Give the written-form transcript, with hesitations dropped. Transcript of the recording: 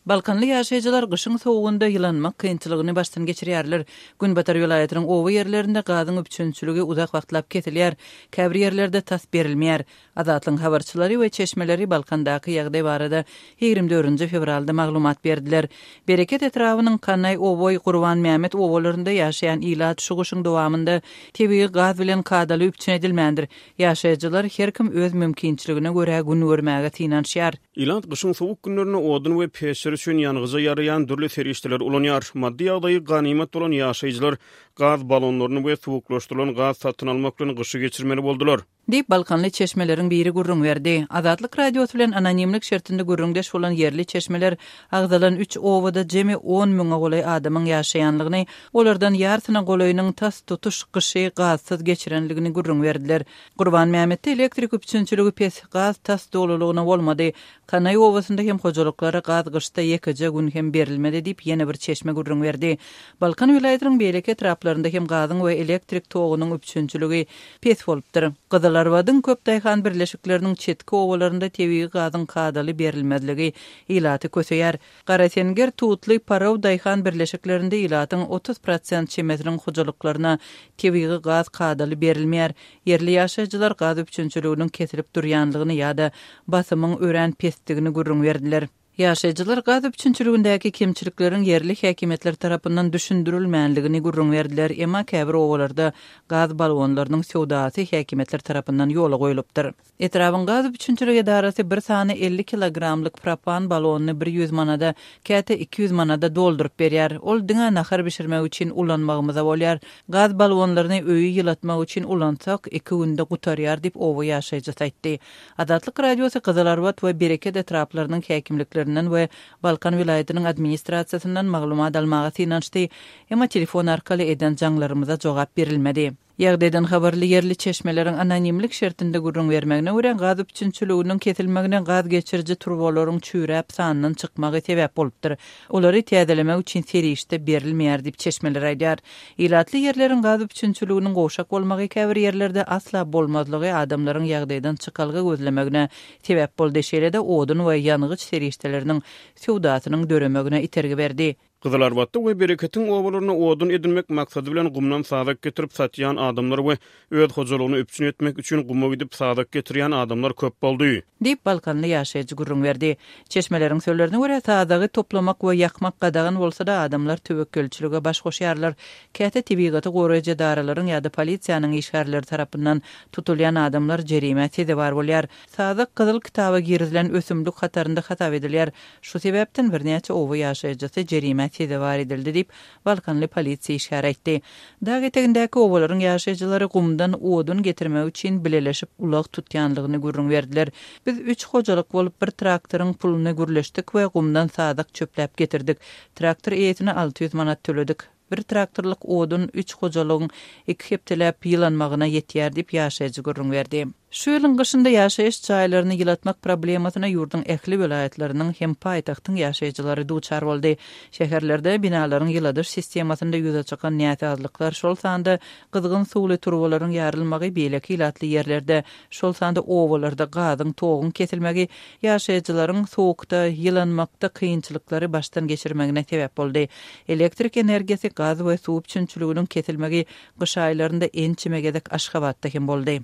Balkanly ýaşaýjylar gyşyň sowugynda ýylanmak kynçylygyny başdan geçirýärler. Günbatar welaýatynyň oba ýerlerinde gazyň üpjünçiligi uzak wagtlap kesilýär, käbir ýerlerde tas berilmeýär. Azatlygyň habarçylary we çeşmeleri Balkandaky ýagdaý barada 24-nji fewralda maglumat berdiler. Bereket etrabynyň Kanaý, Oboý, Gurbanmämmet obalarynda ýaşaýan ilat şu gyşyň dowamynda tebigy gaz bilen kadaly üpjün edilmändir. Ýaşaýjylar her kim öz mümkinçiligine görä gün görmäge synanyşýar. Ilat gyşyň sowuk günlerinde odun we peçler üçin ýangyja ýaraýan dürli serişdeleri ulanýar. Maddy ýagdaýy ganymat bolan ýaşaýjylar gaz balonlaryny we suwuklaşdyrylan gaz satyn almak bilen gyşy geçirmeli boldular. Diýip, balkanly çeşmeleriň biri gürrüň berdi. Azatlyk Radiosy bilen anonimlik şertinde gürrüňdeş bolan ýerli çeşmeler agzalan üç obada jemi on müňe golaý adamyň ýaşaýanlygyny, olardan ýarsyna golaýynyň tas tutuş gyşy gazsyz geçirenligini gürrüň berdiler. Gurbanmämmetde elektrik üpjünçiligi pes, gaz tas dolulygyna bolmady. Kanaý obasynda hem hojalyklara gaz gyşda ýekeje gün hem berilmedi diýip, ýene bir çeşme gürrüň berdi. Balkan welaýatynyň beýleki etraplarynda hem gazyň we elektrik togunyň üpjünçiligi pes bolupdyr. Gyzylarbadyň köp daýhan birleşikleriniň çetki obalarynda tebigy gazyň kadaly berilmezligi ilaty köseýär. Garasenger, Tutly, Paraw daýhan birleşiklerinde ilatyň 30 prosent çemesiniň hojalyklaryna tebigy gaz kadaly berilmeýär. Ýerli ýaşaýjylar gaz üpjünçiliginiň kesilip durýanlygyny ýa-da basymyň örän pesdigini gürrüň berdiler. Ýaşaýjylar gaz üpjünçiligindäki kemçilikleriň ýerli häkimiýetler tarapyndan düşündirilmänligini gürrüň berdiler, emma käbir obalarda gaz balonlarynyň söwdasy häkimiýetler tarapyndan ýola goýlupdyr. Etrabyň gaz üpjünçilik edarasy bir sany 50 kilogramlyk propan balonyny 100 manada, käte 200 manada dolduryp berýär. Ol diňe nahar bişirmek üçin ulanmagymyza bolýar. Gaz balonlaryny öýi ýylatmak üçin ulansak, iki günde gutarýar diýip, oba ýaşaýjysy aýtdy. Azatlyk Radiosy Gyzylarbat we Bereket etraplarynyň häkimliklerinden we Balkan welaýatynyň administrasiýasyndan maglumat almaga synanyşdy, emma telefon arkaly eden jaňlarymyza jogap berilmedi. Ýagdaýdan habarly ýerli çeşmeleriň anonimlik şertinde gürrüň bermegine görä, gaz üpjünçiliginiň kesilmegine gaz geçiriji turbalaryň çüýräp sandan çykmagy sebäp bolupdyr. Olary täzelemek üçin serişde berilmeýär diýip, çeşmeler aýdýar. Ilatly ýerleriň gaz üpjünçiliginiň gowşak bolmagy käbir ýerlerde asla bolmazlygy adamlaryň ýagdaýdan çykalga gözlemegine sebäp boldy, şeýle-de odun we ýangyç serişdeleriniň söwdasynyň döremegine itergi berdi. Gyzylarbatda we Bereketiň obalarynda odun edinmek maksady bilen gumdan sazak getirip satýan adamlar we öz hojalygyny üpjün etmek üçin guma gidip sazak getirýän adamlar köp boldy. Diýip, balkanly ýaşaýjy gürrüň berdi. Çeşmeleriň sözlerine görä, sazagy toplamak we ýakmak gadagan bolsa-da, adamlar töwekgelçilige baş goşýarlar. Käte tebigaty goraýjy edaralaryň ýa-da polisiýanyň işgärleri tarapyndan tutulýan adamlar jerimä sezewar bolýar. Sazak Gyzyl kitaba girizilen ösümlik hatarynda hasap edilýär. Şu sebäpden birnäçe oba ýaşaýjysy jerimä sezewar edildi diýip, balkanly polisiýa işgäri aýtdy. Dag etegindäki obalaryň ýaşaýjylary gumdan odun getirmek üçin bileleşip ulag tutýanlygyny gürrüň berdiler. Biz üç hojalyk bolup bir traktoryň puluny gürleşdik we gumdan sazak çöpläp getirdik. Traktor eýesine 600 manat töledik. Bir traktorlyk odun üç hojalygyň iki hepdeläp ýylanmagyna ýetýär diýip, ýaşaýjy gürrüň berdi. Şu ýylyň gyşynda ýaşaýyş jaýlaryny ýylatmak problemasyna ýurduň ähli welaýatlarynyň hem paýtagtyň ýaşaýjylary duçar boldy. Şäherlerde binalaryň ýyladyş sistemasynda ýüze çykan näsazlyklar, şol sanda gyzgyn suwly turbalaryň ýarylmagy, beýleki ilatly ýerlerde, şol sanda obalarda gazyň, toguň kesilmegi ýaşaýjylaryň sowukda ýylanmakda kynçylyklary başdan geçirmegine sebäp boldy. Elektrik energiýasy, gaz we suw üpjünçiliginiň kesilmegi gyş aýlarynda ençeme gezek Aşgabatda hem boldy.